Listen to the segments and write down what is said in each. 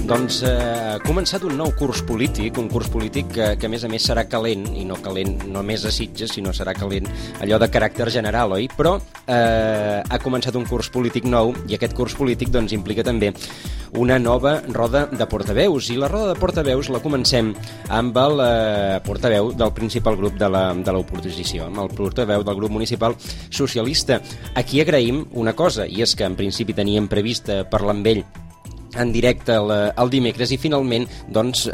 Doncs ha començat un nou curs polític, un curs polític que a més serà calent, i no calent només a Sitges, sinó serà calent allò de caràcter general, oi? Però ha començat un curs polític nou, i aquest curs polític doncs implica també una nova roda de portaveus, i la roda de portaveus la comencem amb el portaveu del principal grup de l'oposició, amb el portaveu del grup municipal socialista. Aquí agraïm una cosa, i és que en principi teníem previst parlar amb ell en directe el dimecres, i finalment doncs,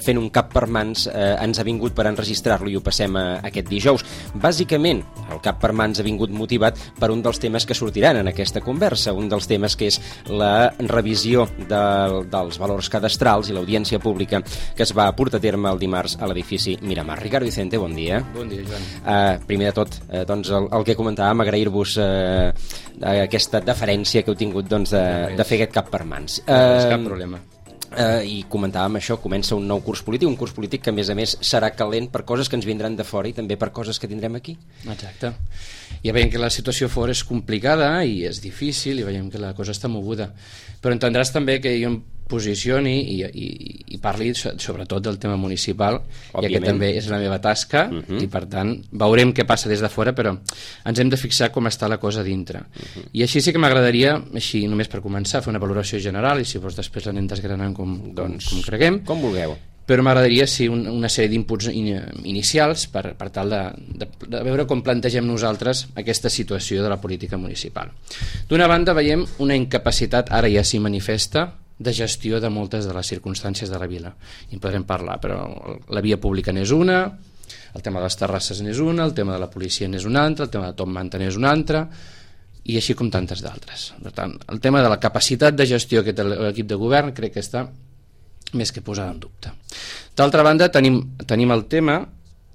fent un cap per mans ens ha vingut per enregistrar-lo i ho passem aquest dijous. Bàsicament el cap per mans ha vingut motivat per un dels temes que sortiran en aquesta conversa, un dels temes que és la revisió dels valors cadastrals i l'audiència pública que es va portar a terme el dimarts a l'edifici Miramar. Ricardo Vicente, bon dia. Bon dia, Joan. Primer de tot, doncs, el que comentàvem, agrair-vos aquesta deferència que heu tingut doncs, de fer aquest cap per mans. Cap problema. I comentàvem això, comença un nou curs polític que a més serà calent per coses que ens vindran de fora i també per coses que tindrem aquí. Exacte. Ja veiem que la situació fora és complicada i és difícil i veiem que la cosa està moguda, però entendràs també que jo em posicioni i parli sobretot del tema municipal, ja que també és la meva tasca, i per tant veurem què passa des de fora, però ens hem de fixar com està la cosa dintre. I així sí que m'agradaria, així només per començar, fer una valoració general, i si vols després l'anem desgranant com creguem. Com vulgueu. Però m'agradaria una sèrie d'inputs inicials per tal de veure com plantegem nosaltres aquesta situació de la política municipal. D'una banda veiem una incapacitat, ara ja s'hi manifesta, de gestió de moltes de les circumstàncies de la vila. I en podrem parlar, però la via pública n'és una, el tema de les terrasses n'és una, el tema de la policia n'és una altra, el tema de Top Manta n'és una altra, i així com tantes d'altres. Per tant, el tema de la capacitat de gestió que té l'equip de govern crec que està més que posada en dubte. D'altra banda, tenim el tema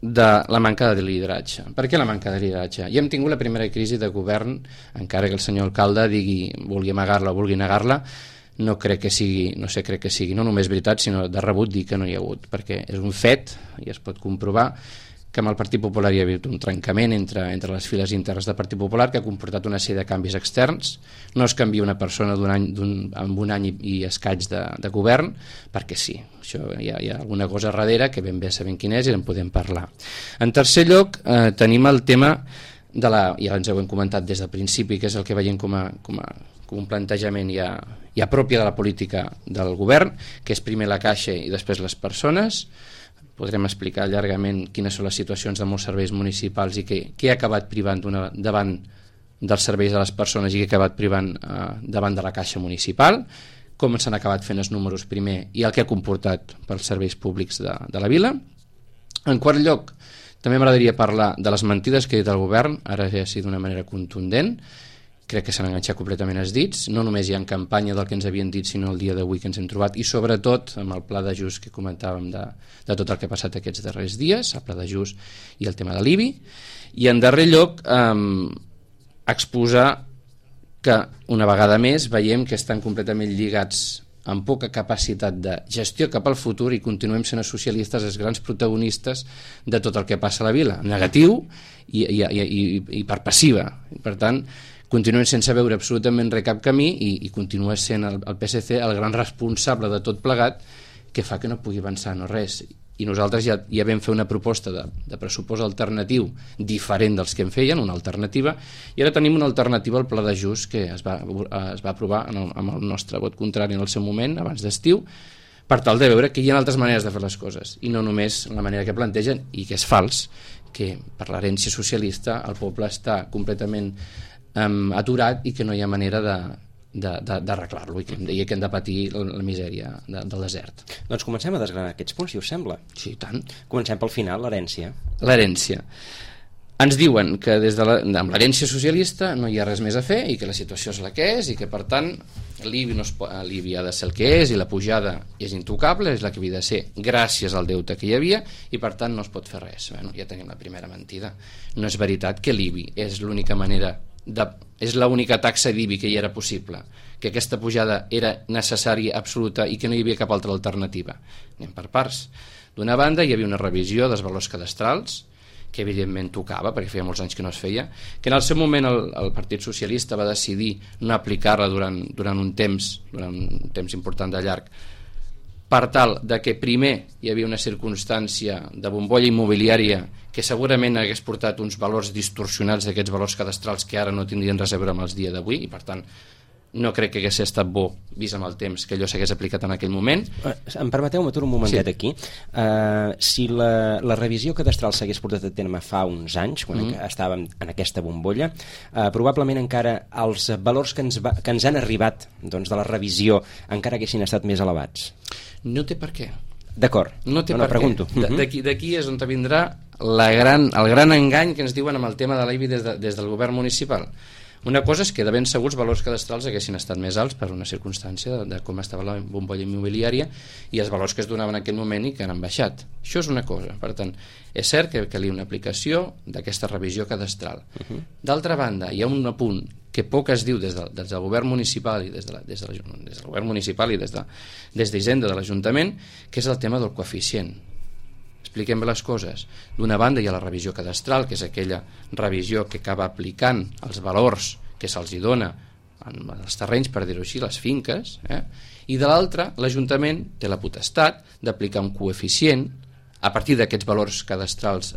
de la manca de lideratge. Per què la manca de lideratge? Ja hem tingut la primera crisi de govern, encara que el senyor alcalde vulgui amagar-la o vulgui negar-la, no crec que sigui no només veritat, sinó de rebut dir que no hi ha hagut, perquè és un fet, i es pot comprovar, que amb el Partit Popular hi ha hagut un trencament entre les files internes del Partit Popular que ha comportat una sèrie de canvis externs. No es canvia una persona amb un any i escaig de govern, perquè sí, això hi ha alguna cosa darrere que ben bé sabem quina és i en podem parlar. En tercer lloc, tenim el tema ja ens ho hem comentat des del principi, que és el que veiem com un plantejament ja pròpia de la política del govern, que és primer la caixa i després les persones. Podrem explicar llargament quines són les situacions de molts serveis municipals i què ha acabat privant davant dels serveis de les persones i què ha acabat privant davant de la caixa municipal, com s'han acabat fent els números primer i el que ha comportat pels serveis públics de la vila. En quart lloc, també m'agradaria parlar de les mentides que ha dit el govern, ara ja sí d'una manera contundent. Crec que s'han enganxat completament els dits, no només hi ha en campanya del que ens havien dit, sinó el dia d'avui que ens hem trobat, i sobretot amb el pla d'ajust que comentàvem de tot el que ha passat aquests darrers dies, el pla d'ajust i el tema de l'IBI. I en darrer lloc, exposar que una vegada més veiem que estan completament lligats amb poca capacitat de gestió cap al futur i continuem sent els socialistes els grans protagonistes de tot el que passa a la vila, negatiu i per passiva. Per tant, continuem sense veure absolutament res cap camí i continua sent el PSC el gran responsable de tot plegat que fa que no pugui avançar no res. I nosaltres ja vam fer una proposta de pressupost alternatiu diferent dels que en feien, una alternativa, i ara tenim una alternativa al pla d'ajust que es va aprovar amb el nostre vot contrari en el seu moment, abans d'estiu, per tal de veure que hi ha altres maneres de fer les coses i no només la manera que plantegen, i que és fals, que per l'herència socialista el poble està completament aturat i que no hi ha manera d'arreglar-lo i que hem de patir la misèria del desert. Doncs comencem a desgranar aquests punts, si us sembla. Sí, tant. Comencem pel final, l'herència. L'herència. Ens diuen que amb l'herència socialista no hi ha res més a fer i que la situació és la que és i que per tant l'IBI ha de ser el que és i la pujada és intocable, és la que havia de ser gràcies al deute que hi havia i per tant no es pot fer res. Ja tenim la primera mentida. No és veritat que l'IBI és l'única manera és l'única taxa d'IBI que hi era possible, que aquesta pujada era necessària, absoluta i que no hi havia cap altra alternativa. Anem per parts. D'una banda hi havia una revisió dels valors cadastrals que evidentment tocava, perquè feia molts anys que no es feia, que en el seu moment el Partit Socialista va decidir no aplicar-la durant un temps important de llarg, per tal de que primer hi havia una circumstància de bombolla immobiliària que segurament hagués portat uns valors distorsionats d'aquests valors cadastrals que ara no tindrien res a veure amb els dia d'avui, i per tant no crec que hagués estat bo, vist amb el temps, que allò s'hagués aplicat en aquell moment. Em permeteu, m'aturo un momentet aquí. Si la revisió cadastral s'hagués portat a terme fa uns anys, quan estàvem en aquesta bombolla, probablement encara els valors que ens han arribat de la revisió encara haguessin estat més elevats. No té per què. D'acord, no té per pregunto. D'aquí és on vindrà el gran engany que ens diuen amb el tema de l'IBI des del govern municipal. Una cosa és que de ben segurs valors cadastrals haguessin estat més alts per una circumstància de com estava la bombolla immobiliària i els valors que es donaven en aquell moment i que han baixat. Això és una cosa. Per tant, és cert que calia una aplicació d'aquesta revisió cadastral. D'altra banda, hi ha un apunt que poc es diu des del govern municipal i des del govern municipal i des d'Hisenda de l'Ajuntament, que és el tema del coeficient. Expliquem bé les coses. D'una banda hi ha la revisió cadastral, que és aquella revisió que acaba aplicant els valors que se'ls dona en els terrenys, per dir-ho així, les finques, i de l'altra, l'Ajuntament té la potestat d'aplicar un coeficient a partir d'aquests valors cadastrals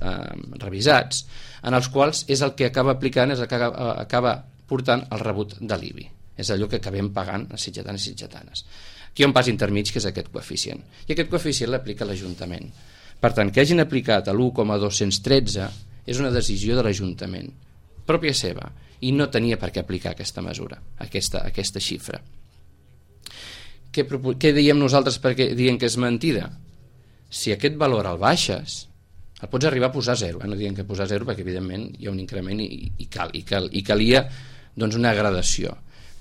revisats, en els quals és el que acaba aplicant, és el que acaba portant el rebut de l'IBI. És allò que acabem pagant a sitjatanes i sitjatanes. Aquí hi ha un pas intermig, que és aquest coeficient. I aquest coeficient l'aplica l'Ajuntament. Per tant, que hagin aplicat l'1,213 és una decisió de l'Ajuntament, pròpia seva, i no tenia per què aplicar aquesta mesura, aquesta xifra. Què diem nosaltres perquè diem que és mentida? Si aquest valor el baixes, el pots arribar a posar a zero. No diem que posar a zero perquè, evidentment, hi ha un increment i calia una gradació.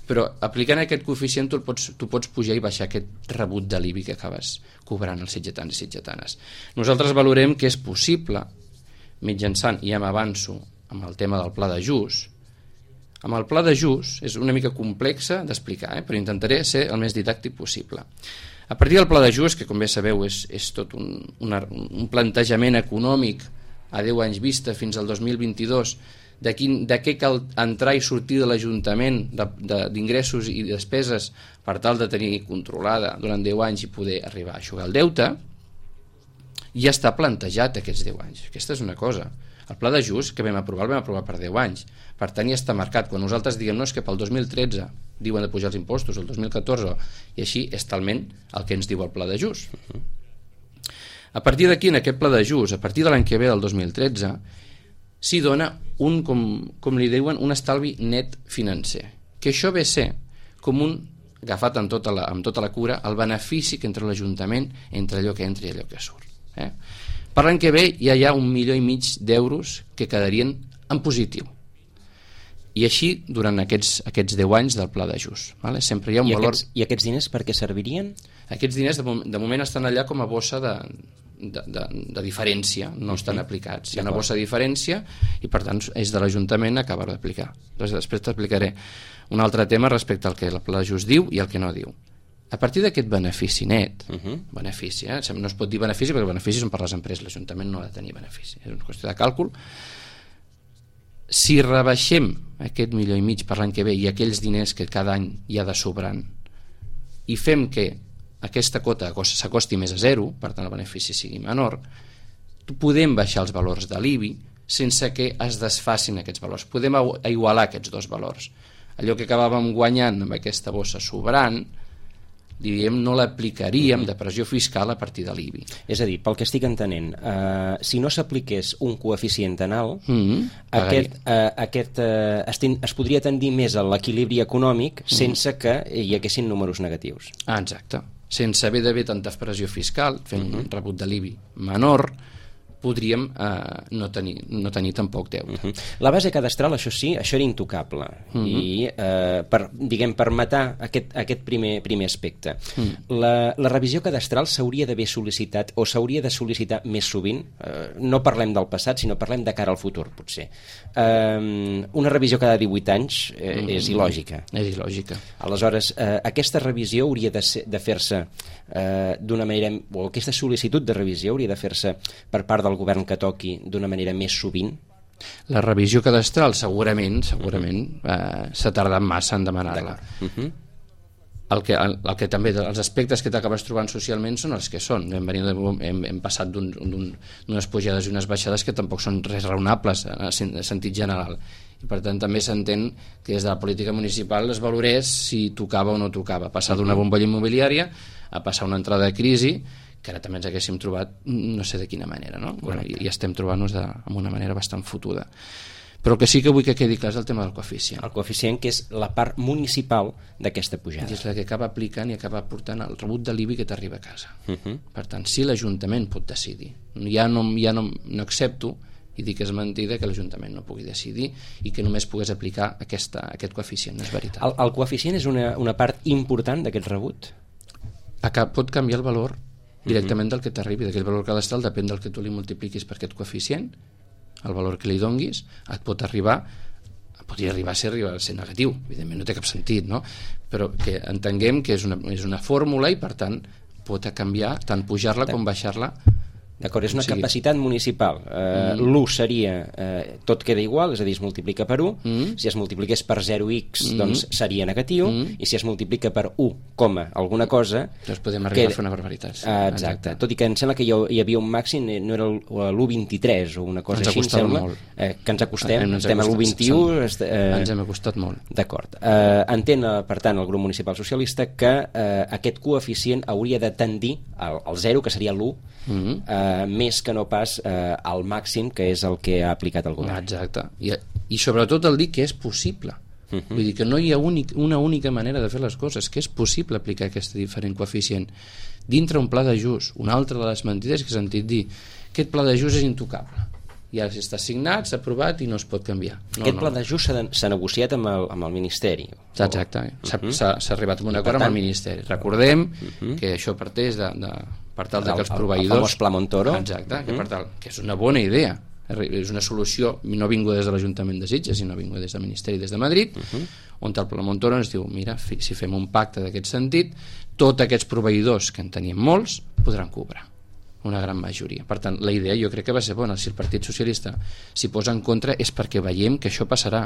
Però aplicant aquest coeficient tu pots pujar i baixar aquest rebut de l'IBI que acabes cobrant els sitjatans i sitjatanes. Nosaltres valorem que és possible, mitjançant, i ja m'avanço amb el tema del pla d'ajust. Amb el pla d'ajust és una mica complexa d'explicar, però intentaré ser el més didàctic possible. A partir del pla d'ajust, que com bé sabeu és tot un plantejament econòmic a 10 anys vista fins al 2022, de què cal entrar i sortir de l'Ajuntament d'ingressos i despeses per tal de tenir controlada durant 10 anys i poder arribar a eixugar el deute, ja està plantejat aquests 10 anys. Aquesta és una cosa. El pla d'ajust que vam aprovar per 10 anys. Per tant, ja està marcat. Quan nosaltres diguem és que pel 2013 diuen de pujar els impostos, el 2014, i així és talment el que ens diu el pla d'ajust. A partir d'aquí, en aquest pla d'ajust, a partir de l'any que ve, del 2013, s'hi dona com li diuen, un estalvi net financer, que això ve a ser com agafat amb tota la cura, el benefici que entra a l'Ajuntament entre allò que entra i allò que surt. Per l'any que ve ja hi ha 1,5 milions d'euros que quedarien en positiu, i així durant aquests 10 anys del pla d'ajust. Sempre hi ha un valor. I aquests diners per què servirien? Aquests diners de moment estan allà com a bossa de diferència, no estan aplicats. Hi ha una bossa de diferència i per tant és de l'Ajuntament acabar d'aplicar. Després t'explicaré un altre tema respecte al que el pla d'ajust diu i el que no diu. A partir d'aquest benefici net, benefici, no es pot dir benefici perquè beneficis són per les empreses, l'Ajuntament no ha de tenir benefici, és una qüestió de càlcul. Si rebaixem aquest 1,5 milions per l'any que ve i aquells diners que cada any hi ha de sobrant i fem que aquesta cota s'acosti més a zero, per tant el benefici sigui menor, podem baixar els valors de l'IBI sense que es desfacin aquests valors. Podem igualar aquests dos valors. Allò que acabàvem guanyant amb aquesta bossa sobrant, diríem, no l'aplicaríem de pressió fiscal a partir de l'IBI. És a dir, pel que estic entenent, si no s'apliqués un coeficient anal, es podria tendir més a l'equilibri econòmic sense que hi haguessin números negatius. Exacte. Sense haver d'haver tanta pressió fiscal, fent un rebut de l'IBI menor, podríem no tenir tampoc deute. La base cadastral, això sí, això era intocable. I per matar aquest primer aspecte, la revisió cadastral s'hauria d'haver sol·licitat o s'hauria de sol·licitar més sovint. No parlem del passat, sinó parlem de cara al futur, potser. Una revisió cada 18 anys és il·lògica. És il·lògica. Aleshores, aquesta revisió hauria de fer-se d'una manera, o aquesta sol·licitud de revisió hauria de fer-se per part del govern que toqui d'una manera més sovint? La revisió cadastral segurament s'ha tardat massa en demanar-la. el que també els aspectes que t'acabes trobant socialment són els que són. Hem passat d'unes pujades i unes baixades que tampoc són res raonables en sentit general, i per tant també s'entén que des de la política municipal es valorés si tocava o no tocava, passar d'una bombolla immobiliària a passar una entrada de crisi que ara també ens haguéssim trobat no sé de quina manera, no? Bueno, i estem trobant-nos amb una manera bastant fotuda. Però el que sí que vull que quedi clar és el tema del coeficient. El coeficient, que és la part municipal d'aquesta pujada. És la que acaba aplicant i acaba portant el rebut de l'IBI que t'arriba a casa. Per tant, si l'Ajuntament pot decidir, ja no accepto, i dic que és mentida, que l'Ajuntament no pugui decidir i que només pogués aplicar aquest coeficient, no és veritat. El coeficient és una part important d'aquest rebut? Pot canviar el valor directament del que t'arribi, d'aquell valor cadastral, depèn del que tu li multipliquis per aquest coeficient, el valor que li donguis, podria arribar a ser negatiu, evidentment no té cap sentit, no? Però que entenguem que és una fórmula i per tant pot canviar tant pujar-la com baixar-la. D'acord, és una capacitat municipal. L'1 seria, tot queda igual, és a dir, es multiplica per 1, si es multipliqués per 0x doncs seria negatiu, i si es multiplica per 1, alguna cosa... Doncs podem arribar a fer una barbaritat. Exacte, tot i que em sembla que hi havia un màxim, no era l'1,23 o una cosa així, em sembla, que ens acostem, estem a l'1,21... Ens hem acostat molt. D'acord. Entén, per tant, el grup municipal socialista que aquest coeficient hauria de tendir al 0, que seria l'1, més que no pas al màxim, que és el que ha aplicat el govern. Exacte, i sobretot el dir que és possible. Vull dir que no hi ha una única manera de fer les coses, que és possible aplicar aquest diferent coeficient dintre un pla d'ajust. Una altra de les mentides que he sentit dir, aquest pla d'ajust és intocable, ja està signat, s'ha aprovat i no es pot canviar. Aquest pla d'ajust s'ha negociat amb el Ministeri. Exacte, s'ha arribat a un acord amb el Ministeri. Recordem que això parteix per tal que els proveïdors... El famós Pla Montoro. Exacte, que és una bona idea, és una solució no vinguda des de l'Ajuntament de Sitges, sinó vinguda des del Ministeri, des de Madrid, on el Pla Montoro ens diu, mira, si fem un pacte d'aquest sentit, tots aquests proveïdors, que en tenim molts, podran cobrar una gran majoria. Per tant, la idea jo crec que va ser bona. Si el Partit Socialista s'hi posa en contra és perquè veiem que això passarà,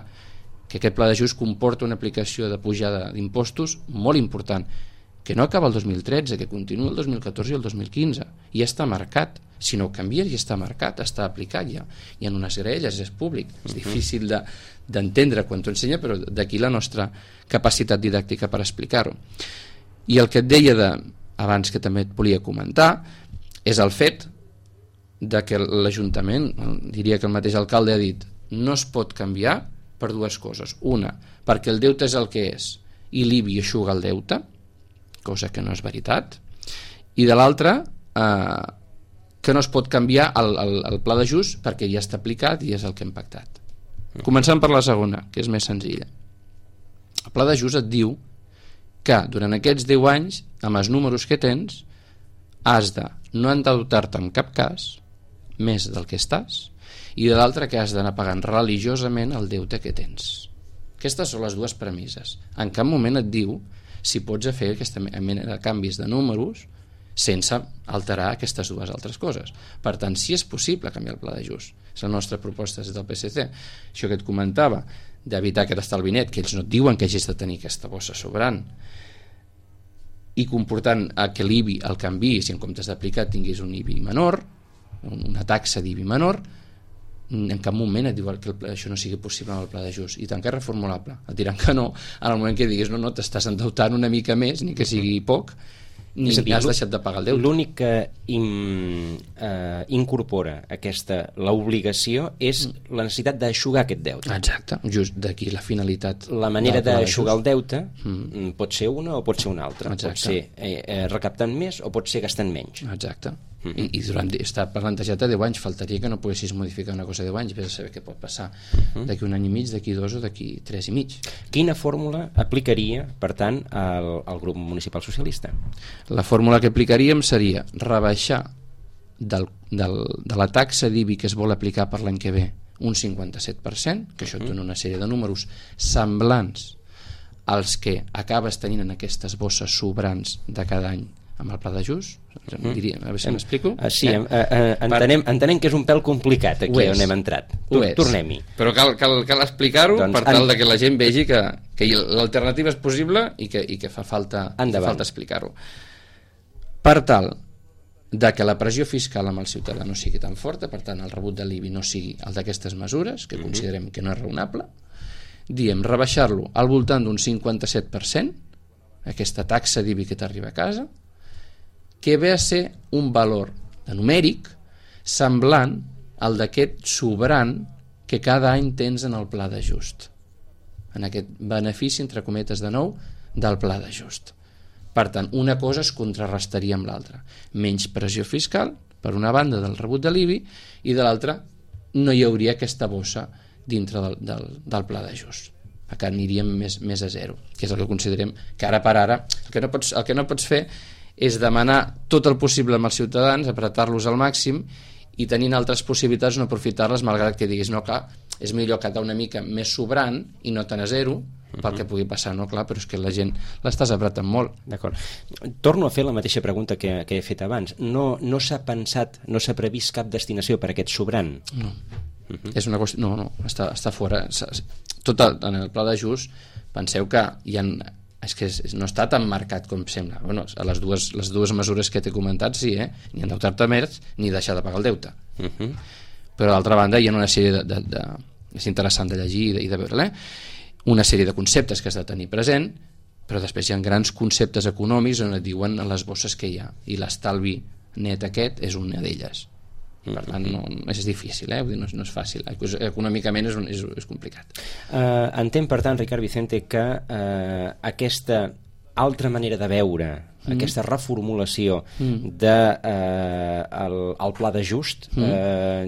que aquest pla d'ajust comporta una aplicació de pujada d'impostos molt important, que no acaba el 2013, que continua el 2014 i el 2015, i ja està marcat. Si no ho canvies, ja està marcat, està aplicat ja. Hi ha unes grelles, és públic. És difícil d'entendre quan t'ho ensenya, però d'aquí la nostra capacitat didàctica per explicar-ho. I el que et deia abans, que també et volia comentar, és el fet de que l'Ajuntament, diria que el mateix alcalde ha dit, no es pot canviar per dues coses. Una, perquè el deute és el que és i l'IBI eixuga el deute, cosa que no és veritat, i de l'altra que no es pot canviar el pla d'ajust perquè ja està aplicat i és el que hem pactat. Començant per la segona, que és més senzilla. El pla d'ajust et diu que durant aquests 10 anys, amb els números que tens, has de no endeutar-te en cap cas més del que estàs, i de l'altre que has d'anar pagant religiosament el deute que tens. Aquestes són les dues premisses. En cap moment et diu si pots fer aquesta mena de canvis de números sense alterar aquestes dues altres coses. Per tant, si és possible canviar el pla d'ajust, és la nostra proposta des del PSC. Això que et comentava, d'evitar aquest estalvi net, que ells no et diuen que hagis de tenir aquesta bossa sobrant, i comportant que l'IBI el canvi, si en comptes d'aplicar tinguis un IBI menor, una taxa d'IBI menor, en cap moment et diu que això no sigui possible amb el pla d'ajust, i tant que és reformulable. Et diran que no, en el moment que diguis no, t'estàs endeutant una mica més, ni que sigui poc, ni has deixat de pagar el deute. L'únic que incorpora l'obligació és la necessitat d'aixugar aquest deute. Exacte, just d'aquí la finalitat. La manera d'aixugar el deute pot ser una o pot ser una altra. Exacte. Pot ser recaptant més o pot ser gastant menys. Exacte. I està plantejat a 10 anys, faltaria que no poguessis modificar una cosa a 10 anys, vés a saber què pot passar d'aquí un any i mig, d'aquí 2 o d'aquí 3 i mig. Quina fórmula aplicaria, per tant, el grup municipal socialista? La fórmula que aplicaríem seria rebaixar de la taxa d'IBI que es vol aplicar per l'any que ve un 57%, que això et dona una sèrie de números semblants als que acabes tenint en aquestes bosses sobrants de cada any amb el pla d'ajust, diria, a veure si m'explico. Sí, entenem que és un pèl complicat aquí on hem entrat. Tornem-hi. Però cal explicar-ho per tal que la gent vegi que l'alternativa és possible i que fa falta explicar-ho. Per tal de que la pressió fiscal amb el ciutadà no sigui tan forta, per tant el rebut de l'IBI no sigui el d'aquestes mesures, que considerem que no és raonable, diem rebaixar-lo al voltant d'un 57%, aquesta taxa d'IBI que t'arriba a casa, que ve a ser un valor numèric semblant al d'aquest sobrant que cada any tens en el pla d'ajust, en aquest benefici, entre cometes de nou, del pla d'ajust. Per tant, una cosa es contrarrestaria amb l'altra. Menys pressió fiscal, per una banda, del rebut de l'IBI, i de l'altra no hi hauria aquesta bossa dintre del pla d'ajust. Que aniríem més a zero, que és el que considerem que ara per ara el que no pots fer és demanar tot el possible amb els ciutadans, apretar-los al màxim i tenint altres possibilitats no aprofitar-les, malgrat que diguis, no, clar, és millor quedar una mica més sobrant i no tant a zero pel que pugui passar, no? Clar, però és que la gent l'estàs apretant molt. D'acord. Torno a fer la mateixa pregunta que he fet abans. No s'ha pensat, no s'ha previst cap destinació per a aquest sobrant? No. És una qüestió... No, està fora. Tot en el pla d'ajust, penseu que hi ha... És que no està tan marcat com sembla. Bueno, a les dues mesures que t'he comentat, sí, ni endeutar-te més ni deixar de pagar el deute. Però d'altra banda hi ha una sèrie és interessant de llegir i de veure, una sèrie de conceptes que has de tenir present, però després hi ha grans conceptes econòmics on et diuen les bosses que hi ha, i l'estalvi net aquest és una d'elles. Per tant, és difícil, vull dir, no és fàcil, econòmicament és complicat. Entenc, per tant, Ricard Vicente, que aquesta altra manera de veure, aquesta reformulació del pla d'ajust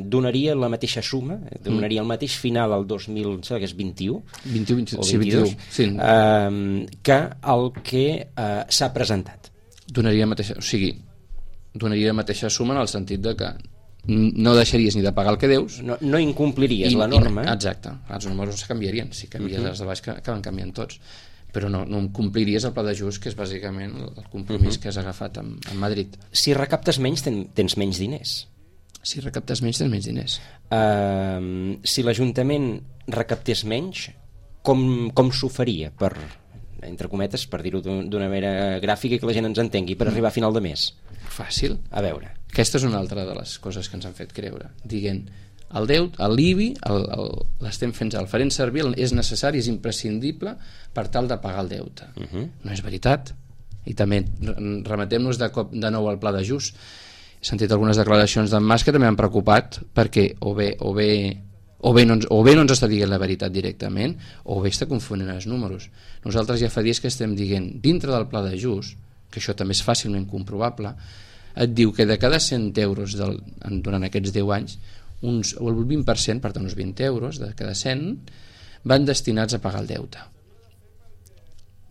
donaria la mateixa suma, donaria el mateix final al 2021 que el que s'ha presentat. Donaria la mateixa suma en el sentit de que no deixaries ni de pagar el que deus, no incompliries la norma. Exacte, els números canviarien, si canvies els de baix que acaben canviant tots, però no compliries el pla d'ajust, que és bàsicament el compromís que has agafat amb Madrid. Si recaptes menys, tens menys diners. Si recaptes menys, tens menys diners. Si l'Ajuntament recaptés menys, com s'ho faria, entre cometes, per dir-ho d'una manera gràfica i que la gent ens entengui, per arribar a final de mes? Fàcil. A veure. Aquesta és una altra de les coses que ens han fet creure, dient l'IBI l'estem fent, el farem servir, és necessari, és imprescindible per tal de pagar el deute. No és veritat. I també remetem-nos de nou al pla d'ajust. He sentit algunes declaracions d'en Mas que també han preocupat, perquè o bé no ens està dient la veritat directament, o bé està confonent els números. Nosaltres ja fa dies que estem dient, dintre del pla d'ajust, que això també és fàcilment comprovable, et diu que de cada 100 euros durant aquests 10 anys, el 20%, per tant uns 20 euros de cada 100, van destinats a pagar el deute.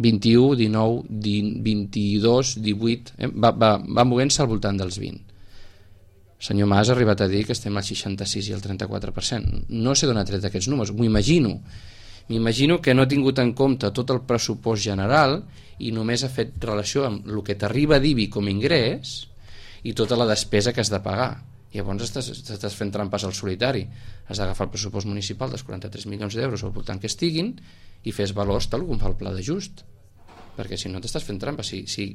21, 19, 22, 18, va movent-se al voltant dels 20. El senyor Mas ha arribat a dir que estem al 66 i al 34%. No sé d'on ha tret aquests números, m'ho imagino. M'imagino que no ha tingut en compte tot el pressupost general i només ha fet relació amb el que t'arriba d'IBI com a ingrés i tota la despesa que has de pagar. Llavors estàs fent trampes al solitari. Has d'agafar el pressupost municipal dels 43 milions d'euros al voltant que estiguin i fes valors tal com fa el pla d'ajust, perquè si no t'estàs fent trampes. Si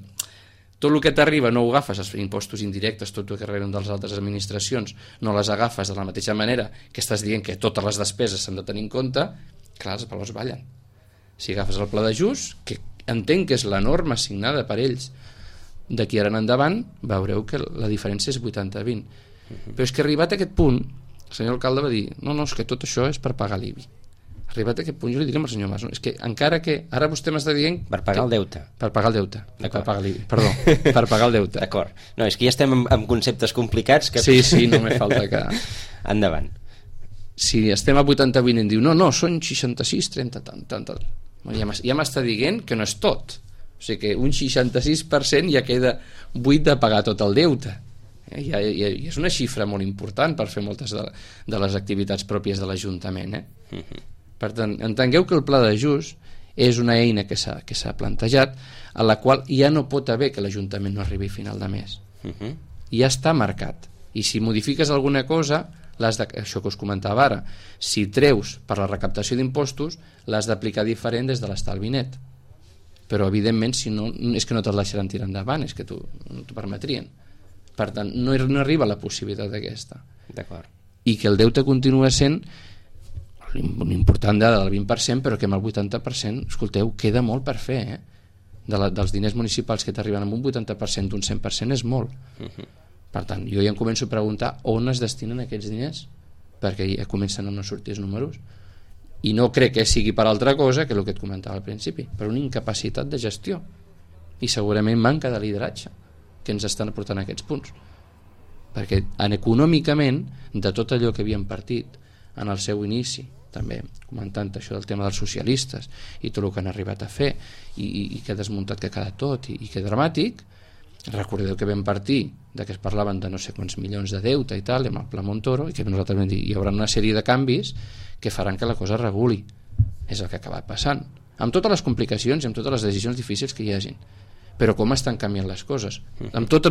tot el que t'arriba no ho agafes, els impostos indirectes, tot el que reben de les altres administracions, no les agafes de la mateixa manera que estàs dient que totes les despeses s'han de tenir en compte, clar, els valors ballen. Si agafes el pla d'ajust, que entenc que és la norma assignada per ells d'aquí ara en endavant, veureu que la diferència és 80-20. Però és que arribat a aquest punt, el senyor alcalde va dir, no, és que tot això és per pagar l'IBI. Arribat a aquest punt, jo li diré al senyor Mas, és que encara que ara vostè m'està dient... Per pagar el deute. Per pagar el deute, per pagar l'IBI, perdó, per pagar el deute. D'acord. No, és que ja estem amb conceptes complicats que... Sí, només falta que... Endavant. Si estem a 80-20 i em diu, no, són 66, 30, tant. Ja m'està dient que no és tot. O sigui que un 66% ja queda buit de pagar tot el deute. I és una xifra molt important per fer moltes de les activitats pròpies de l'Ajuntament. Per tant, entengueu que el pla d'ajust és una eina que s'ha plantejat, a la qual ja no pot haver que l'Ajuntament no arribi a final de mes. Ja està marcat. I si modifiques alguna cosa, això que us comentava ara, si treus per la recaptació d'impostos, l'has d'aplicar diferent des de l'estalvi net. Però evidentment si no, és que no te'l deixaran tirar endavant, és que no t'ho permetrien. Per tant, no arriba la possibilitat aquesta. D'acord. I que el deute continua sent una important dada del 20%, però que amb el 80%, escolteu, queda molt per fer, dels diners municipals que t'arriben amb un 80% d'un 100% és molt. Per tant, jo ja em començo a preguntar on es destinen aquests diners, perquè ja comencen a no sortir els números, i no crec que sigui per altra cosa que el que et comentava al principi, per una incapacitat de gestió i segurament manca de lideratge que ens estan portant a aquests punts, perquè econòmicament de tot allò que havíem partit en el seu inici, també comentant això del tema dels socialistes i tot el que han arribat a fer i que ha desmuntat que ha quedat tot i que dramàtic. Recordeu que vam partir de que es parlaven de no sé quants milions de deute i tal, amb el Pla Montoro, i que nosaltres vam dir hi haurà una sèrie de canvis que faran que la cosa reguli. És el que ha acabat passant, amb totes les complicacions i amb totes les decisions difícils que hi hagin, però com estan canviant les coses. Amb tot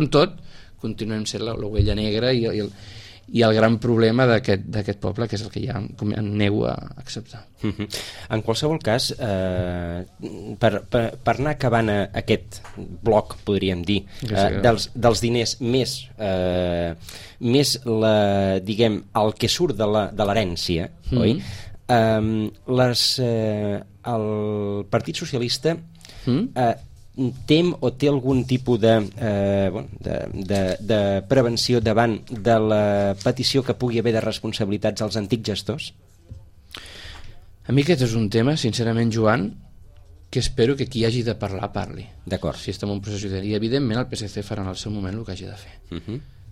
continuem sent l'ovella negra i el gran problema d'aquest poble, que és el que ja em nego a acceptar. En qualsevol cas, per anar acabant aquest bloc, podríem dir, dels diners més diguem, el que surt de l'herència, oi? El Partit Socialista tem o té algun tipus de prevenció davant de la petició que pugui haver de responsabilitats als antics gestors? A mi aquest és un tema, sincerament, Joan, que espero que qui hagi de parlar parli. D'acord. Si estem en un procés judicial. I evidentment el PSC farà en el seu moment el que hagi de fer.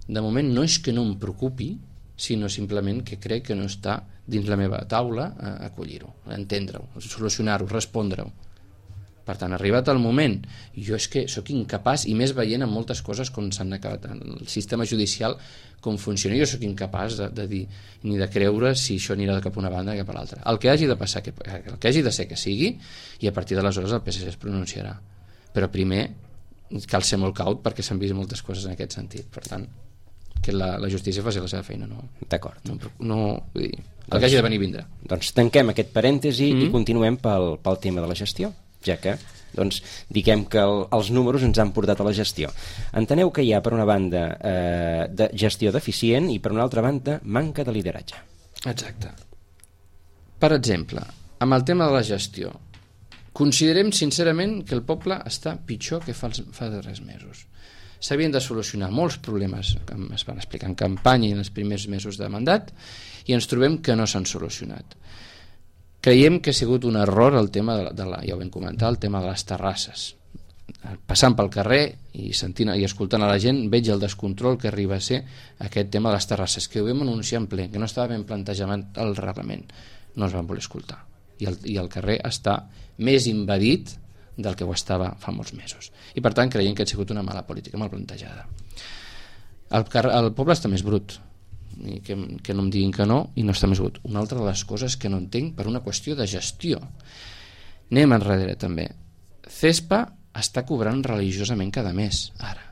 De moment no és que no em preocupi, sinó simplement que crec que no està dins la meva taula a acollir-ho, a entendre-ho, a solucionar-ho, respondre-ho. Per tant, arribat el moment, jo és que sóc incapaç, i més veient en moltes coses com s'han acabat el sistema judicial, com funciona, jo sóc incapaç de dir ni de creure si això anirà cap a una banda o cap a l'altra. El que hagi de passar, el que hagi de ser que sigui, i a partir d'aleshores el PSC es pronunciarà. Però primer cal ser molt caut perquè s'han vist moltes coses en aquest sentit. Per tant, que la justícia faci la seva feina. D'acord. El que hagi de venir vindrà. Doncs tanquem aquest parèntesi i continuem pel tema de la gestió, ja que diguem que els números ens han portat a la gestió. Enteneu que hi ha per una banda de gestió deficient i per una altra banda manca de lideratge. Exacte. Per exemple, amb el tema de la gestió, considerem sincerament que el poble està pitjor que fa 3 mesos. S'havien de solucionar molts problemes que es van explicar en campanya i en els primers mesos de mandat i ens trobem que no s'han solucionat. Creiem que ha sigut un error el tema ja ho vam comentar, el tema de les terrasses. Passant pel carrer i sentint i escoltant a la gent veig el descontrol que arriba a ser aquest tema de les terrasses, que ho vam anunciar en ple, que no estava ben plantejat el reglament, no es van voler escoltar i el carrer està més invadit del que ho estava fa molts mesos i per tant creiem que ha sigut una mala política, mal plantejada. El poble està més brut, i que no em diguin que no, i no està més brut. Una altra de les coses que no entenc per una qüestió de gestió. Anem enrere també. CESPA està cobrant religiosament cada mes ara.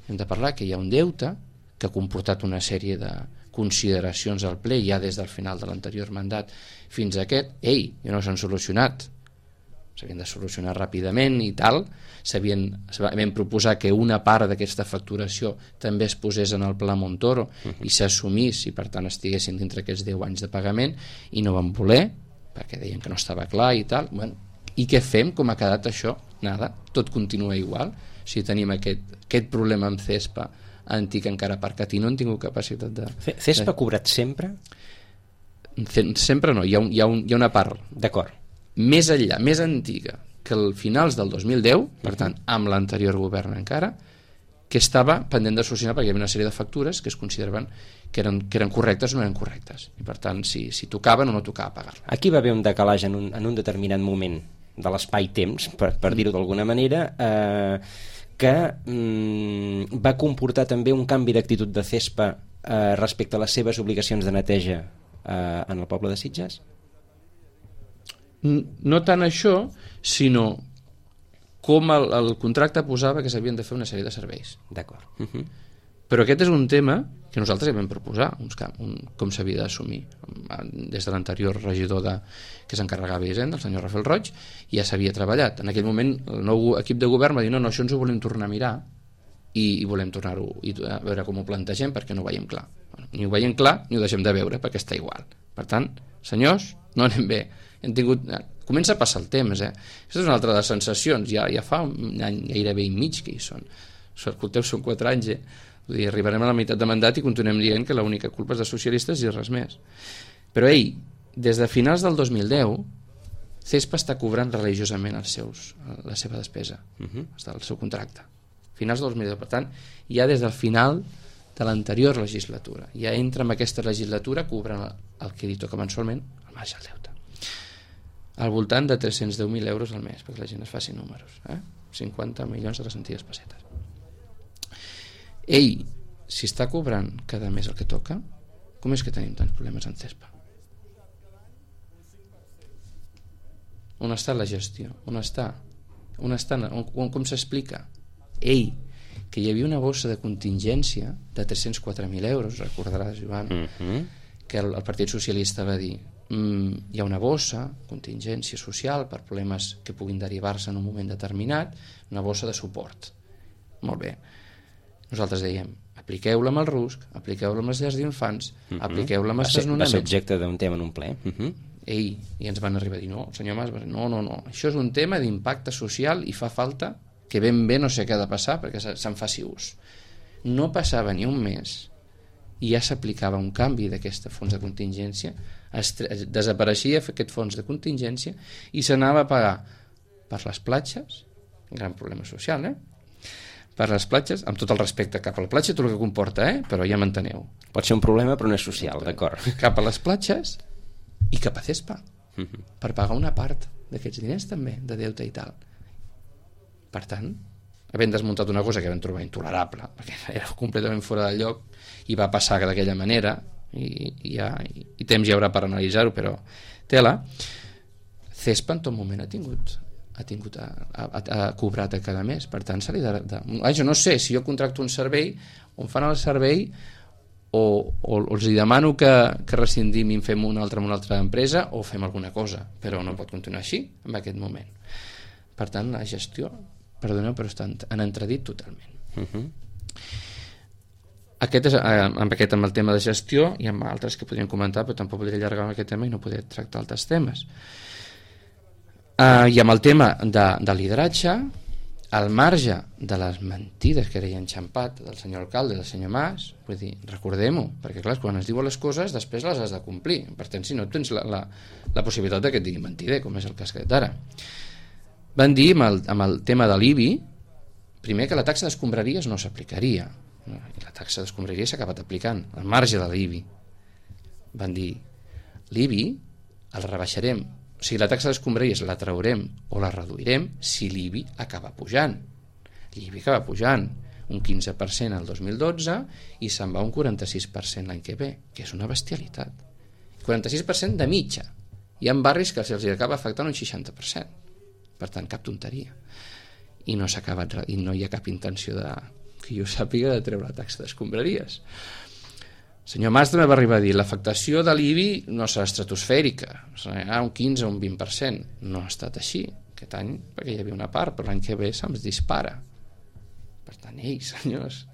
Hem de parlar que hi ha un deute que ha comportat una sèrie de consideracions al ple ja des del final de l'anterior mandat fins a aquest. No s'han solucionat, s'havien de solucionar ràpidament i tal. Vam proposar que una part d'aquesta facturació també es posés en el Pla Montoro i s'assumís i per tant estiguessin dintre aquests 10 anys de pagament i no van voler perquè deien que no estava clar i tal. I què fem? Com ha quedat això? Nada, tot continua igual. Si tenim aquest problema amb CESPA antic encara aparcat i no han tingut capacitat de... CESPA ha cobrat sempre? Sempre no, hi ha una part. D'acord. Més enllà, més antiga que el finals del 2010, per tant amb l'anterior govern encara, que estava pendent de solucionar perquè hi havia una sèrie de factures que es consideraven que eren correctes o no eren correctes i per tant si tocaven o no tocava pagar-la. Aquí va haver un decalatge en un determinat moment de l'espai-temps, per dir-ho d'alguna manera, que va comportar també un canvi d'actitud de CESPA respecte a les seves obligacions de neteja en el poble de Sitges? No tant això, sinó com el contracte posava que s'havien de fer una sèrie de serveis. D'acord. Però aquest és un tema que nosaltres ja vam proposar, com s'havia d'assumir. Des de l'anterior regidor que s'encarregava d'Hisenda, el senyor Rafael Roig, ja s'havia treballat. En aquell moment el nou equip de govern va dir no, això ens ho volem tornar a mirar i volem tornar-ho a veure com ho plantegem perquè no ho veiem clar. Ni ho veiem clar ni ho deixem de veure perquè està igual. Per tant, senyors, no anem bé. Comença a passar el temps, Aquesta és una altra de les sensacions, ja fa un any gairebé i mig que hi són. Escolteu, són 4 anys, Vull dir, arribarem a la meitat de mandat i continuem dient que l'única culpa és dels socialistes i res més. Però des de finals del 2010 CESPA està cobrant religiosament la seva despesa, el seu contracte. Finals del 2010, per tant, ja des del final de l'anterior legislatura. Ja entra en aquesta legislatura cobrant el que li toca mensualment, el marge del deute. Al voltant de 310.000 euros al mes, perquè la gent es faci números. 50 milions de les antigues pessetes. Si està cobrant cada mes el que toca, com és que tenim tants problemes en CESPA? On està la gestió? Com s'explica? Que hi havia una bossa de contingència de 304.000 euros, recordaràs, Joan, que el Partit Socialista va dir hi ha una bossa, contingència social per problemes que puguin derivar-se en un moment determinat, una bossa de suport. Molt bé. Nosaltres dèiem, apliqueu-la amb el RUSC, apliqueu-la amb les llars d'infants, apliqueu-la amb els desnonaments. Va ser objecte d'un tema en un ple. I ens van arribar a dir, no, el senyor Mas va dir, no, això és un tema d'impacte social i fa falta que ben bé no sé què ha de passar perquè se'n faci ús. No passava ni un mes i ja s'aplicava un canvi d'aquest fons de contingència, desapareixia aquest fons de contingència i s'anava a pagar per les platges, un gran problema social, per les platges, amb tot el respecte cap a la platja, tot el que comporta, però ja m'enteneu. Pot ser un problema però no és social, d'acord. Cap a les platges i cap a CESPA, per pagar una part d'aquests diners també, de deute i tal. Per tant, havent desmuntat una cosa que vam trobar intolerable, perquè era completament fora del lloc, i va passar d'aquella manera, i temps hi haurà per analitzar-ho, però tela, CESPA en tot moment ha cobrat a cada mes, per tant se li jo no sé, si jo contracto un servei on fan el servei o els demano que rescindim i en fem una altra empresa o fem alguna cosa, però no pot continuar així en aquest moment. Per tant, la gestió, perdoneu, però està en entredit totalment. Aquest és amb el tema de gestió i amb altres que podríem comentar, però tampoc podria allargar aquest tema i no podria tractar altres temes. I amb el tema de lideratge, al marge de les mentides que deia enxampat del senyor alcalde i del senyor Mas, vull dir, recordem-ho, perquè clar, quan es diuen les coses després les has de complir, per tant si no tens la possibilitat que et diguin mentider, com és el cas que ara van dir amb el tema de l'IBI, primer que la taxa d'escombraries no s'aplicaria, i la taxa d'escombraries s'ha acabat aplicant al marge de l'IBI. Van dir l'IBI el rebaixarem, o sigui, la taxa d'escombraries la traurem o la reduirem si l'IBI acaba pujant. L'IBI acaba pujant un 15% el 2012 i se'n va un 46% l'any que ve, que és una bestialitat. 46% de mitja. Hi ha barris que se'ls acaba afectant un 60%. Per tant, cap tonteria. I no s'ha acabat, i no hi ha cap intenció que jo sàpiga de treure la taxa d'escombraries. El senyor Mas també va arribar a dir l'afectació de l'IBI no serà estratosfèrica, serà un 15 o un 20%. No ha estat així aquest any, perquè hi havia una part, però l'any que ve se'ns dispara. Per tant, senyors,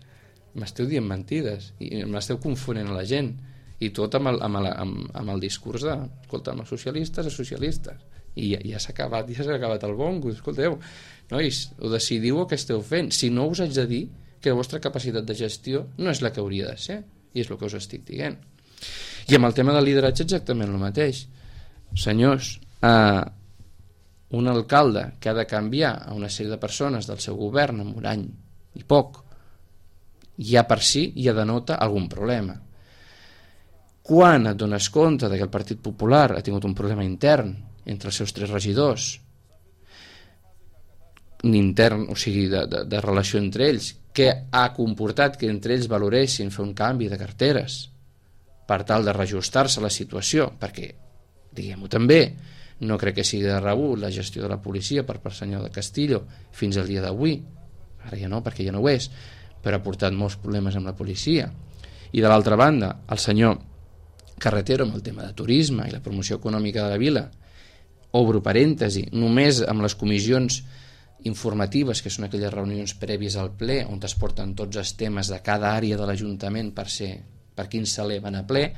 m'esteu dient mentides i m'esteu confonent a la gent, i tot amb el discurs de escolta, els socialistes a socialistes, i ja s'ha acabat el bongo. Escolteu, nois, ho decidiu o què esteu fent? Si no, us haig de dir que la vostra capacitat de gestió no és la que hauria de ser, i és el que us estic dient. I amb el tema del lideratge exactament el mateix. Senyors, un alcalde que ha de canviar a una sèrie de persones del seu govern en un any i poc, ja per si ja denota algun problema. Quan et dones compte que el Partit Popular ha tingut un problema intern entre els seus 3 regidors, intern, o sigui, de relació entre ells, que ha comportat que entre ells valoressin fer un canvi de carteres per tal de reajustar-se a la situació, perquè, diguem-ho també, No crec que sigui de rebut la gestió de la policia per senyor de Castillo fins al dia d'avui. Ara ja no, perquè ja no ho és, però ha portat molts problemes amb la policia. I de l'altra banda, el senyor Carretero amb el tema de turisme i la promoció econòmica de la vila, obro parèntesi, només amb les comissions informatives, que són aquelles reunions prèvies al ple on es porten tots els temes de cada àrea de l'Ajuntament per quin s'eleven a ple,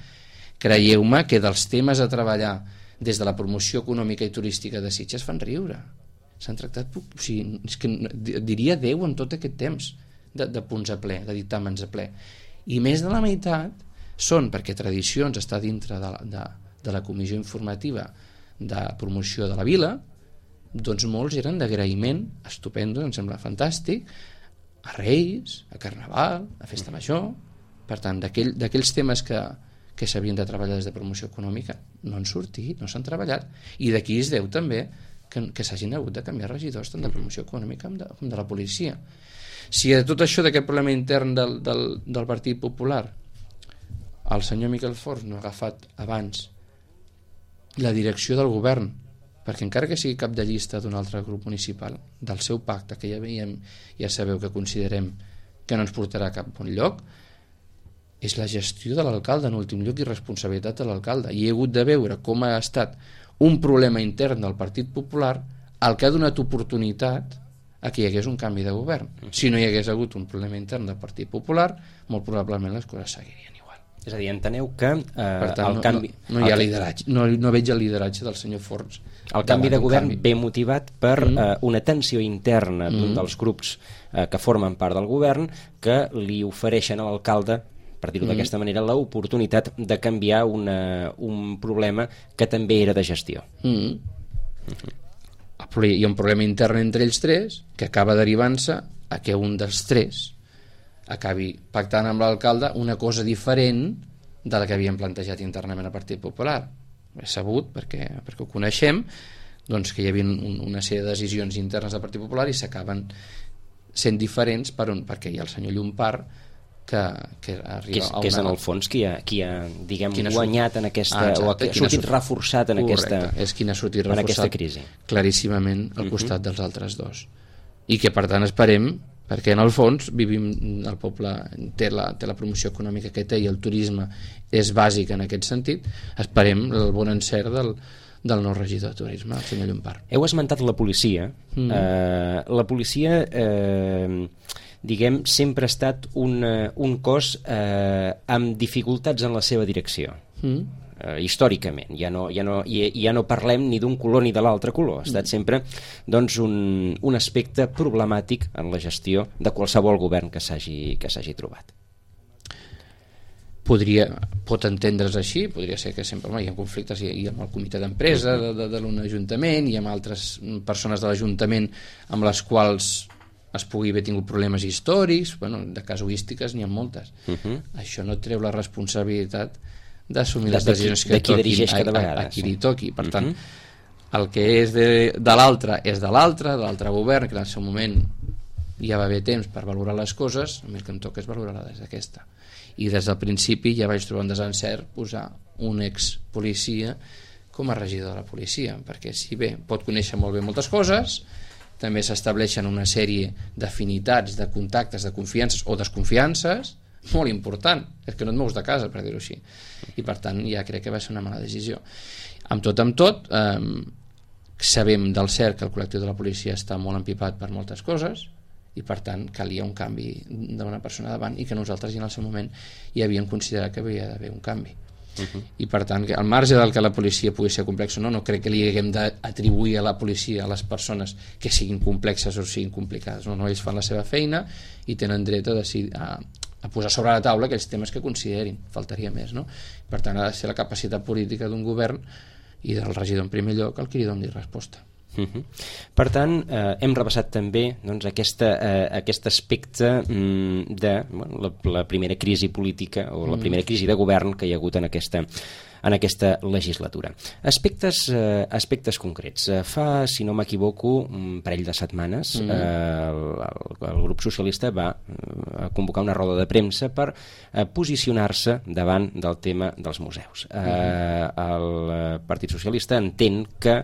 creieu-me que dels temes a treballar des de la promoció econòmica i turística de Sitges fan riure. S'han tractat, o sigui, és que diria 10 en tot aquest temps de punts a ple, de dictàmens a ple. I més de la meitat són, perquè Tradicions està dintre de la comissió informativa de promoció de la vila, doncs molts eren d'agraïment, estupendo, em sembla fantàstic, a Reis, a Carnaval, a Festa Major. Per tant, d'aquells temes que s'havien de treballar des de promoció econòmica no han sortit, no s'han treballat, i d'aquí es deu també que s'hagin hagut de canviar regidors tant de promoció econòmica com de la policia. Si de tot això, d'aquest problema intern del Partit Popular, el senyor Miquel Forns no ha agafat abans la direcció del govern, perquè encara que sigui cap de llista d'un altre grup municipal, del seu pacte, que ja sabeu que considerem que no ens portarà a cap bon lloc, és la gestió de l'alcalde en últim lloc i responsabilitat de l'alcalde. I he hagut de veure com ha estat un problema intern del Partit Popular el que ha donat oportunitat a que hi hagués un canvi de govern. Si no hi hagués hagut un problema intern del Partit Popular, molt probablement les coses seguirien igual. És a dir, enteneu que per tant, el canvi... No hi ha lideratge, no veig el lideratge del senyor Forns. El canvi de govern ve motivat per una tensió interna d'un dels grups que formen part del govern que li ofereixen a l'alcalde, per dir-ho d'aquesta manera, l'oportunitat de canviar un problema que també era de gestió. Hi ha un problema intern entre ells tres que acaba derivant-se a que un dels tres acabi pactant amb l'alcalde una cosa diferent de la que havien plantejat internament al Partit Popular. És sabut, perquè ho coneixem, doncs que hi havia una sèrie de decisions internes del Partit Popular i s'acaben sent diferents perquè hi ha el senyor Llompart que arriba que és en el fons qui ha diguem, guanyat en aquesta, o que ha sortit reforçat en és qui ha sortit reforçat en aquesta crisi, claríssimament al costat dels altres dos, i que per tant esperem, perquè en el fons vivim, el poble té la promoció econòmica que té i el turisme és bàsic en aquest sentit, esperem el bon encert del nou regidor de turisme, el senyor Llompart. Heu esmentat la policia. La policia diguem, sempre ha estat un cos amb dificultats en la seva direcció. Històricament. Ja no parlem ni d'un color ni de l'altre color. Ha estat sempre doncs, un aspecte problemàtic en la gestió de qualsevol govern que s'hagi trobat. Pot entendre's així, podria ser que sempre hi ha conflictes i amb el comitè d'empresa de un ajuntament i amb altres persones de l'ajuntament amb les quals es pugui haver tingut problemes històrics, de casuístiques n'hi ha moltes. Això no treu la responsabilitat d'assumir les decisions que toquin a qui li toqui. Per tant, el que és de l'altre és de l'altre govern, que en el seu moment ja va haver temps per valorar les coses, a mi el que em toca és valorar-la des d'aquesta. I des del principi ja vaig trobar un desencert posar un ex-policia com a regidor de la policia, perquè si bé pot conèixer molt bé moltes coses, també s'estableixen una sèrie d'afinitats, de contactes, de confiances o desconfiances molt important, és que no et mous de casa, per dir-ho així, i per tant ja crec que va ser una mala decisió. Amb tot, sabem del cert que el col·lectiu de la policia està molt empipat per moltes coses i per tant calia un canvi d'una persona davant i que nosaltres ja en el seu moment ja havíem considerat que havia d'haver un canvi. I per tant, al marge del que la policia pugui ser complexa o no crec que li haguem d'atribuir a la policia a les persones que siguin complexes o siguin complicades. No, ells fan la seva feina i tenen dret a decidir, a posar sobre la taula aquells temes que considerin, faltaria més, no? Per tant, ha de ser la capacitat política d'un govern i del regidor en primer lloc el que li doni resposta. Per tant, hem repassat també doncs, aquest aspecte de la primera crisi política o la primera crisi de govern que hi ha hagut en aquesta en aquesta legislatura. Aspectes concrets. Fa, si no m'equivoco, un parell de setmanes el grup socialista va convocar una roda de premsa per posicionar-se davant del tema dels museus. El Partit Socialista entén que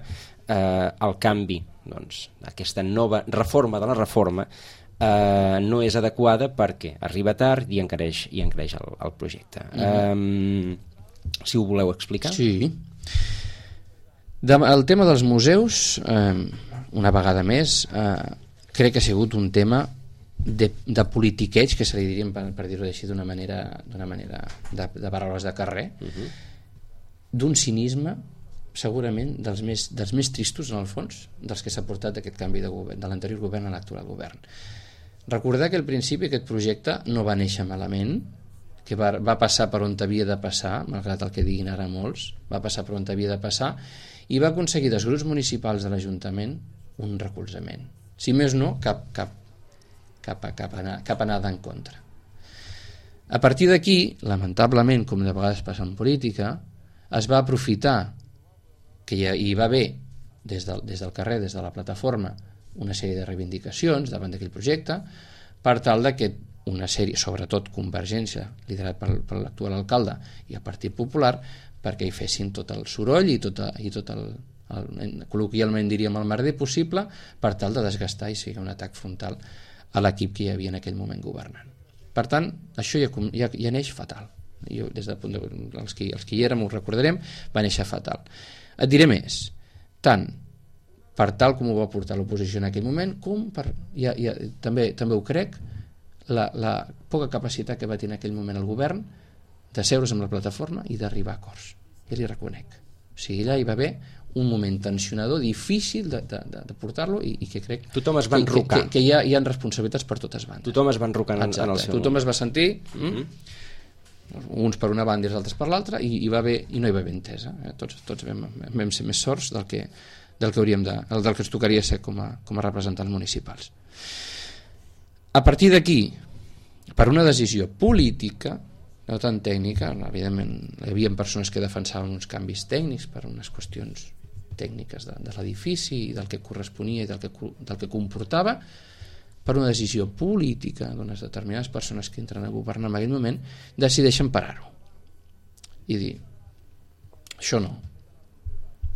el canvi, doncs, aquesta nova reforma de la reforma no és adequada perquè arriba tard i encareix el projecte. Si ho voleu explicar. Sí. El tema dels museus, una vegada més, crec que ha sigut un tema de politiqueig, que se li diríem, per dir-ho així, d'una manera de paraules de carrer, d'un cinisme segurament dels més tristos, en el fons, dels que s'ha portat aquest canvi de govern, de l'anterior govern a l'actual govern. Recordar que al principi aquest projecte no va néixer malament, que va passar per on havia de passar, malgrat el que diguin ara molts, va passar per on havia de passar, i va aconseguir dels grups municipals de l'Ajuntament un recolzament. Si més no, cap anada en contra. A partir d'aquí, lamentablement, com de vegades passa en política, es va aprofitar que hi va haver des del carrer, des de la plataforma, una sèrie de reivindicacions davant d'aquell projecte per tal de que una sèrie, sobretot Convergència, liderat per l'actual alcalde, i el Partit Popular, perquè hi fessin tot el soroll i tot el col·loquialment diríem el merder possible per tal de desgastar i sigui un atac frontal a l'equip que hi havia en aquell moment governant. Per tant, això ja neix fatal. Jo, des del punt de vista, els que hi érem ho recordarem, va néixer fatal. Et diré més, tant per tal com ho va portar l'oposició en aquell moment, com per, també ho crec, la poca capacitat que va tenir en aquell moment el govern de seure's amb la plataforma i d'arribar a acords. Ja li reconec. O sigui, allà hi va haver un moment tensionador, difícil de portar-lo i que crec tothom es va enrocar. Que hi ha responsabilitats per totes bandes. Tothom es va enrocar en el seu tothom moment. Es va sentir uns per una banda i els altres per l'altra i no hi va haver entesa. Tots vam ser més sorts del que ens tocaria ser com a representants municipals. A partir d'aquí, per una decisió política, no tan tècnica, evidentment hi havia persones que defensaven uns canvis tècnics per unes qüestions tècniques de l'edifici i del que corresponia i del que comportava, per una decisió política d'unes determinades persones que entren a governar en aquell moment, decideixen parar-ho i dir, això no.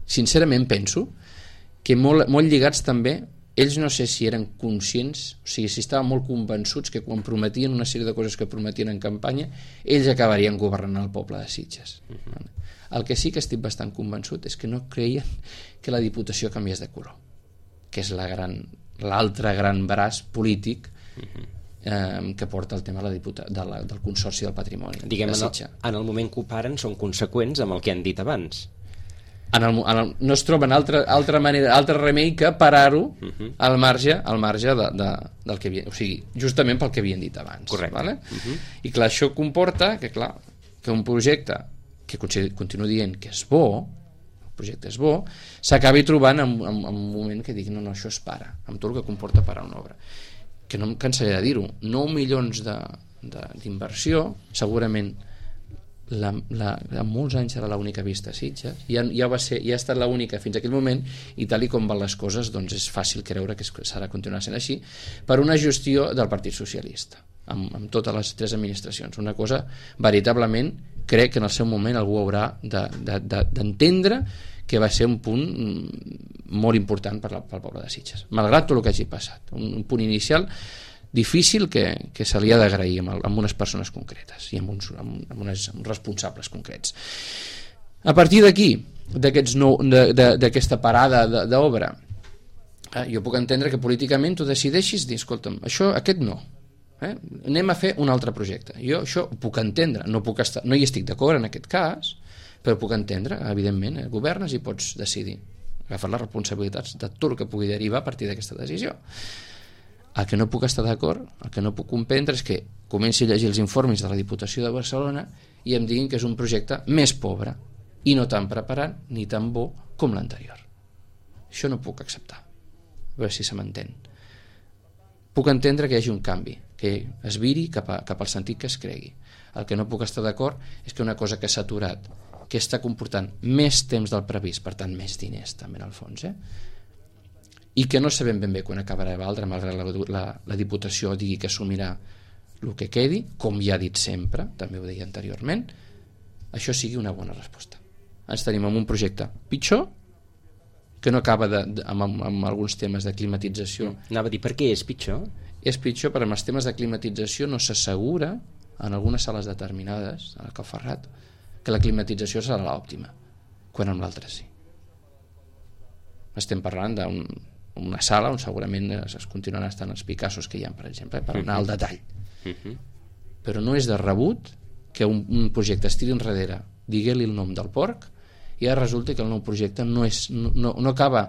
Sincerament penso que molt lligats també, ells no sé si eren conscients, o sigui, si estaven molt convençuts que quan prometien una sèrie de coses que prometien en campanya, ells acabarien governant el poble de Sitges. El que sí que estic bastant convençut és que no creien que la Diputació canviés de color, que és l'altre gran braç polític que porta el tema del Consorci del Patrimoni. Diguem, en el moment que ho paren són conseqüents amb el que han dit abans. No es troben altre remei que parar-ho al marge del que havien, o sigui, justament pel que havien dit abans. Correcte. Vale? I clar, això comporta que un projecte que continuo dient que és bo, el projecte és bo, s'acabi trobant en un moment que digui no, això es para, amb tot el que comporta parar una obra. Que no em cansaré de dir-ho, 9 milions d'inversió, segurament en molts anys serà l'única vista a Sitges, ja ha estat l'única fins a aquell moment, i tal i com van les coses, doncs és fàcil creure que s'ha de continuar sent així, per una gestió del Partit Socialista amb totes les 3 administracions. Una cosa veritablement, crec que en el seu moment algú haurà d'entendre que va ser un punt molt important pel poble de Sitges, malgrat tot el que hagi passat, un punt inicial difícil que se li ha d'agrair amb unes persones concretes i amb uns responsables concrets. A partir d'aquí, d'aquesta parada d'obra, jo puc entendre que políticament tu decideixis dir, escolta'm, aquest no, anem a fer un altre projecte. Jo això ho puc entendre, no hi estic d'acord en aquest cas, però puc entendre, evidentment, governes i pots decidir agafar les responsabilitats de tot el que pugui derivar a partir d'aquesta decisió. El que no puc estar d'acord, el que no puc comprendre és que comenci a llegir els informes de la Diputació de Barcelona i em diguin que és un projecte més pobre i no tan preparat ni tan bo com l'anterior. Això no puc acceptar, a veure si se m'entén. Puc entendre que hi hagi un canvi, que es viri cap al sentit que es cregui. El que no puc estar d'acord és que una cosa que s'ha aturat, que està comportant més temps del previst, per tant més diners també en el fons, i que no sabem ben bé quan acabarà de valdre, malgrat la Diputació digui que assumirà el que quedi, com ja ha dit sempre, també ho deia anteriorment, això sigui una bona resposta. Ens tenim en un projecte pitjor, que no acaba amb alguns temes de climatització. Anava a dir, per què és pitjor? És pitjor perquè amb els temes de climatització no s'assegura en algunes sales determinades, a la Cal Ferrat, que la climatització serà l'òptima, quan amb l'altra sí. Estem parlant d'una sala on segurament es continuaran estant els Picassos que hi ha, per exemple, per anar al detall. Però no és de rebut que un projecte es tiri enrere, digui-li el nom del porc, i ara resulta que el nou projecte no acaba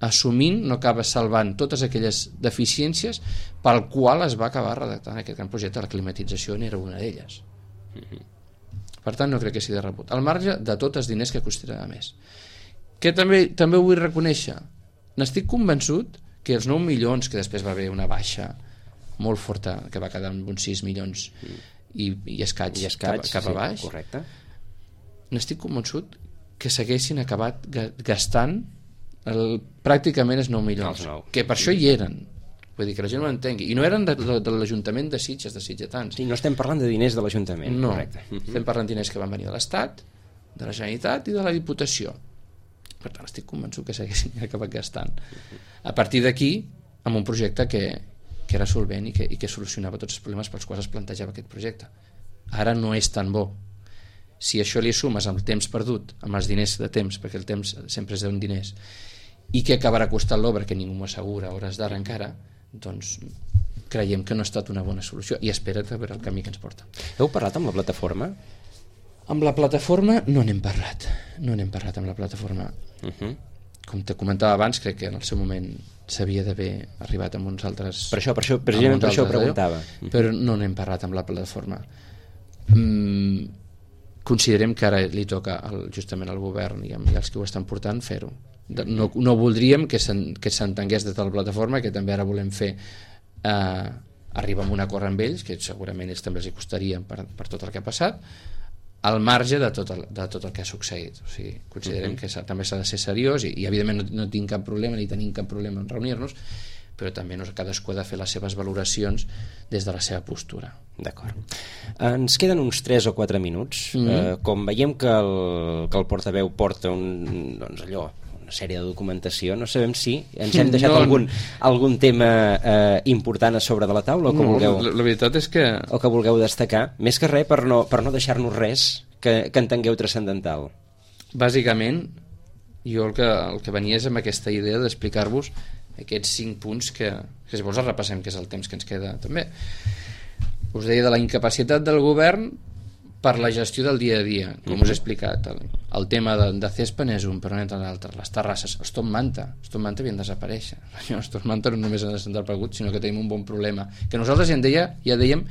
assumint, no acaba salvant totes aquelles deficiències pel qual es va acabar redactant aquest gran projecte. La climatització n'era una d'elles. Per tant, no crec que sigui de rebut. Al marge de tots els diners que costarà més. Que també ho vull reconèixer. N'estic convençut que els 9 milions, que després va haver una baixa molt forta, que va quedar amb uns 6 milions i escaig cap a baix, correcte. N'estic convençut que s'haguessin acabat gastant pràcticament els 9 milions, que per això hi eren. Vull dir que la gent ho entengui. I no eren de l'Ajuntament de Sitges, de sitgetans. Sí, no estem parlant de diners de l'Ajuntament. No, correcte. Estem parlant de diners que van venir de l'Estat, de la Generalitat i de la Diputació. Per tant, estic convençut que s'haguessin acabat gastant. A partir d'aquí, amb un projecte que era solvent i que solucionava tots els problemes pels quals es plantejava aquest projecte. Ara no és tan bo. Si això li sumes amb el temps perdut, amb els diners de temps, perquè el temps sempre és d'un diners, i que acabarà costant l'obra, que ningú m'ho assegura a hores d'ara encara, doncs creiem que no ha estat una bona solució i espera't a veure el camí que ens porta. Heu parlat amb la plataforma? Amb la plataforma no n'hem parlat. No n'hem parlat amb la plataforma. Com te comentava abans, crec que en el seu moment s'havia d'haver arribat amb uns altres... Per això ho preguntava. Però no n'hem parlat amb la plataforma. Considerem que ara li toca justament al govern i als que ho estan portant fer-ho. No voldríem que s'entengués des de la plataforma, que també ara volem fer arribar a un acord amb ells, que segurament ells també els hi costarien per tot el que ha passat, al marge de tot el que ha succeït. O sigui, considerem que també s'ha de ser seriós i evidentment no tinc cap problema ni tenim cap problema en reunir-nos, però també cadascú ha de fer les seves valoracions des de la seva postura. D'acord. Ens queden uns 3 o 4 minuts. Com veiem que el portaveu porta una sèrie de documentació, no sabem si ens hem deixat algun tema important a sobre de la taula o que vulgueu... La veritat és que... O que vulgueu destacar. Més que res per no deixar-nos res que entengueu transcendental. Bàsicament, jo el que venia és amb aquesta idea d'explicar-vos aquests 5 punts que si vols els repassem, que és el temps que ens queda també. Us deia de la incapacitat del govern per la gestió del dia a dia, com us he explicat. El tema de Cespa és un, però n'entra l'altre. Les terrasses, els Top Manta havien de desaparèixer. Els Top Manta no només han desaparegut, sinó que tenim un bon problema, que nosaltres ja dèiem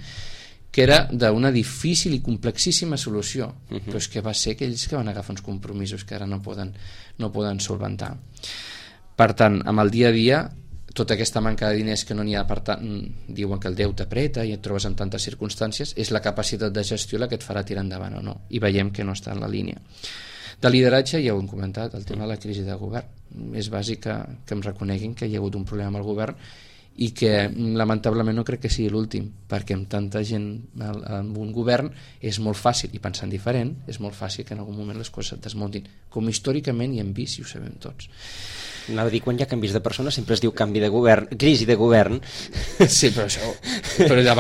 que era d'una difícil i complexíssima solució, però és que va ser aquells que van agafar uns compromisos que ara no poden solventar. Per tant, amb el dia a dia, tota aquesta manca de diners que no n'hi ha, per tant, diuen que el deute apreta i et trobes en tantes circumstàncies, és la capacitat de gestió la que et farà tirar endavant o no, i veiem que no està en la línia. De lideratge ja ho hem comentat, el tema de la crisi de govern. És bàsic que em reconeguin que hi ha hagut un problema amb el govern i que lamentablement no crec que sigui l'últim, perquè amb tanta gent en un govern és molt fàcil, i pensant diferent, és molt fàcil que en algun moment les coses et desmuntin, com històricament hi hem vist i ho sabem tots. Anava a dir, quan hi ha canvis de persona sempre es diu canvi de govern, crisi de govern. Sí, però de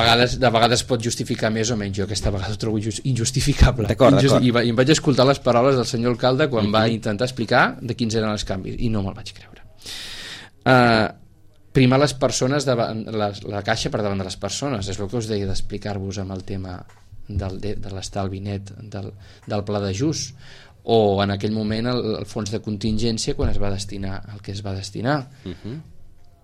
vegades pot justificar més o menys. Jo aquesta vegada ho trobo injustificable. D'acord. I em vaig escoltar les paraules del senyor alcalde quan va intentar explicar de quins eren els canvis i no me'l vaig creure. Primar les persones, la caixa per davant de les persones, és el que us deia d'explicar-vos amb el tema de l'estalvi net del pla d'ajust, o en aquell moment el fons de contingència quan es va destinar el que es va destinar,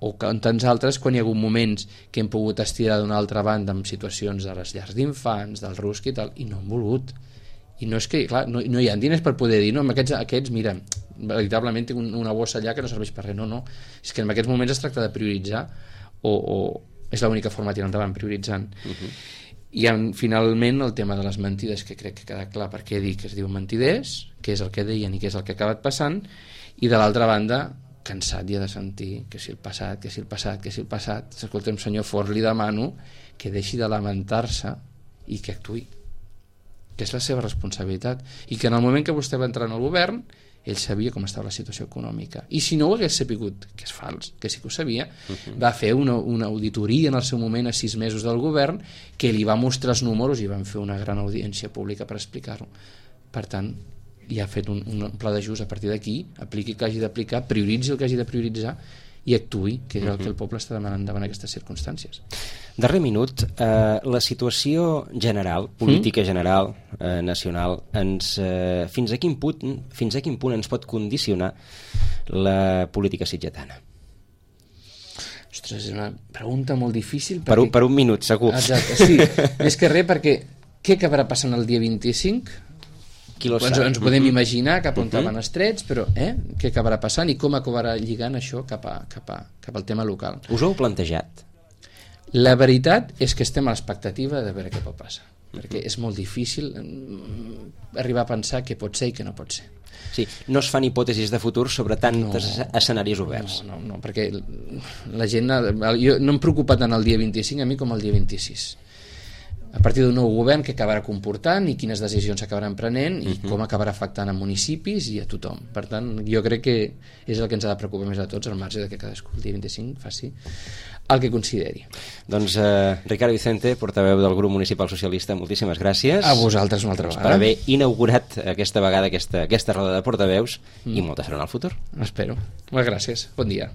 o en tants altres quan hi ha hagut moments que hem pogut estirar d'una altra banda amb situacions de les llars d'infants, del RUSC i tal, i no han volgut. I no és que, clar, no hi ha diners per poder dir, no, amb aquests mira, veritablement tinc una bossa allà que no serveix per res, no, és que en aquests moments es tracta de prioritzar o és l'única forma de tirar endavant, prioritzant. I finalment el tema de les mentides, que crec que queda clar per què dic que es diu mentiders, què és el que deien i què és el que ha acabat passant, i de l'altra banda cansat ja de sentir que si el passat, escolta'm senyor Forn, li demano que deixi de lamentar-se i que actuï, que és la seva responsabilitat, i que en el moment que vostè va entrar en el govern ell sabia com estava la situació econòmica, i si no ho hagués sapigut, que és fals, que sí que ho sabia, va fer una auditoria en el seu moment a 6 mesos del govern que li va mostrar els números i van fer una gran audiència pública per explicar-ho. Per tant, ja ha fet un pla d'ajust. A partir d'aquí apliqui el que hagi d'aplicar, prioritzi el que hagi de prioritzar i actuï, que és el que el poble està demanant davant aquestes circumstàncies. Darrer minut, la situació general, política general, nacional, fins a quin punt ens pot condicionar la política sitgetana? Ostres, és una pregunta molt difícil. Per un minut, segur. Exacte, sí. Més que res, perquè què acabarà passant el dia 25? Ens podem imaginar cap on van els trets, però què acabarà passant i com acabarà lligant això cap al tema local. Us ho heu plantejat? La veritat és que estem a l'expectativa de veure què pot passar, perquè és molt difícil arribar a pensar què pot ser i què no pot ser. Sí, no es fan hipòtesis de futur sobre tants escenaris oberts. No, perquè la gent... Jo no em preocupa tant el dia 25 a mi com el dia 26. A partir d'un nou govern que acabarà comportant i quines decisions s'acabaran prenent i com acabarà afectant a municipis i a tothom. Per tant, jo crec que és el que ens ha de preocupar més a tots, al marge de que cadascú el dia 25 faci el que consideri. Doncs Ricardo Vicente, portaveu del grup municipal socialista, moltíssimes gràcies. A vosaltres una altra vegada. Per haver inaugurat aquesta vegada aquesta roda de portaveus i molta sort en el futur. Espero. Moltes gràcies. Bon dia.